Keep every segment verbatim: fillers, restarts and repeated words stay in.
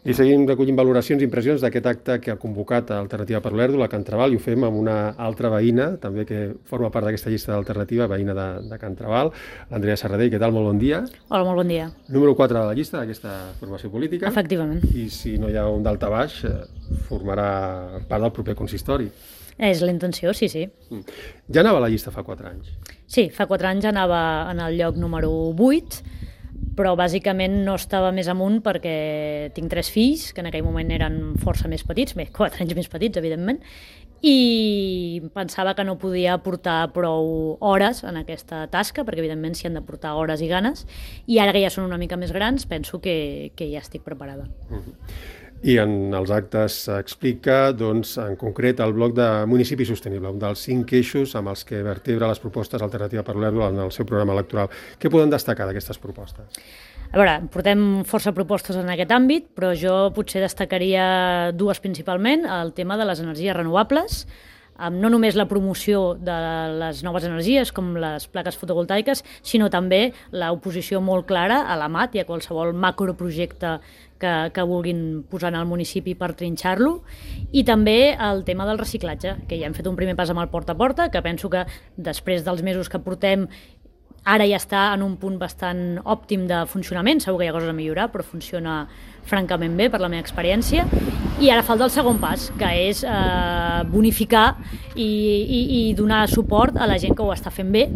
I seguim recollint valoracions i impressions d'aquest acte que ha convocat Alternativa per l'Olèrdola, Can Trabal, i ho fem amb una altra veïna, també que forma part d'aquesta llista d'alternativa, veïna de, de Can Trabal, l'Andrea Serradell. Què tal? Molt bon dia. Hola, molt bon dia. Número quatre de la llista d'aquesta formació política. Efectivament. I si no hi ha un daltabaix, formarà part del proper consistori. És la intenció, sí, sí. Ja anava a la llista fa quatre anys. Sí, fa quatre anys anava en el lloc número vuit, però bàsicament no estava més amunt perquè tinc tres fills, que en aquell moment eren força més petits, bé, quatre anys més petits, evidentment, i pensava que no podia portar prou hores en aquesta tasca, perquè evidentment s'hi han de portar hores i ganes, i ara que ja són una mica més grans, penso que, que ja estic preparada. Uh-huh. I en els actes s'explica, doncs, en concret, el bloc de municipi sostenible, un dels cinc eixos amb els que vertebra les propostes Alternativa per l'Olèrdola en el seu programa electoral. Què poden destacar d'aquestes propostes? A veure, portem força propostes en aquest àmbit, però jo potser destacaria dues principalment, el tema de les energies renovables, no només la promoció de les noves energies, com les plaques fotovoltaiques, sinó també l'oposició molt clara a l'A M A T i a qualsevol macroprojecte que, que vulguin posar en el municipi per trinxar-lo, i també el tema del reciclatge, que ja hem fet un primer pas amb el porta a porta, que penso que després dels mesos que portem ara ja està en un punt bastant òptim de funcionament, segur que hi ha coses a millorar, però funciona francament bé per la meva experiència. I ara falta el segon pas, que és eh, bonificar i, i, i donar suport a la gent que ho està fent bé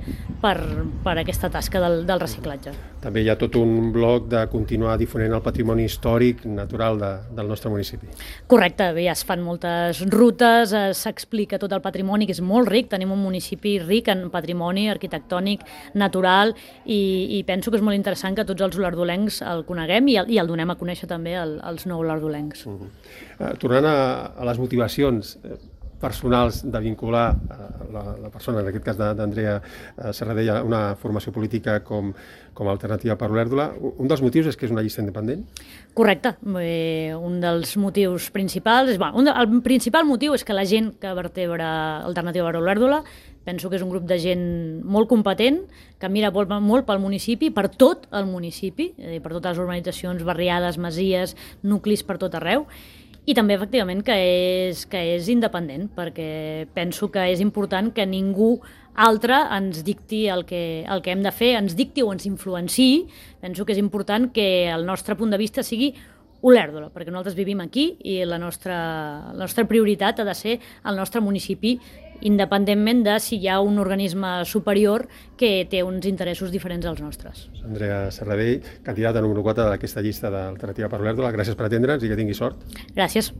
per, per aquesta tasca del, del reciclatge. També hi ha tot un bloc de continuar difonent el patrimoni històric natural de, del nostre municipi. Correcte, bé, es fan moltes rutes, s'explica tot el patrimoni, que és molt ric, tenim un municipi ric en patrimoni arquitectònic, natural, i, i penso que és molt interessant que tots els olerdolencs el coneguem i el, i el donem a conèixer també el, els no olerdolencs. Uh-huh. uh, tornant a, a les motivacions personals de vincular la, la persona, en aquest cas d'Andrea Serradell, a una formació política com, com a Alternativa per l'Olèrdola, un dels motius és que és una llista independent? Correcte. Eh, un dels motius principals, és, bueno, un de, el principal motiu és que la gent que vertebra Alternativa per l'Olèrdola penso que és un grup de gent molt competent, que mira molt, molt pel municipi, per tot el municipi, eh, per totes les urbanitzacions, barriades, masies, nuclis per tot arreu, i també, efectivament, que és, que és independent, perquè penso que és important que ningú altre ens dicti el que, el que hem de fer, ens dicti o ens influenciï. Penso que és important que el nostre punt de vista sigui Olèrdola, perquè nosaltres vivim aquí i la nostra, la nostra prioritat ha de ser el nostre municipi, independentment de si hi ha un organisme superior que té uns interessos diferents als nostres. Andrea Serradell, candidata número quatre d'aquesta llista d'Alternativa per l'Olèrdola. Gràcies per atendre'ns i que tingui sort. Gràcies.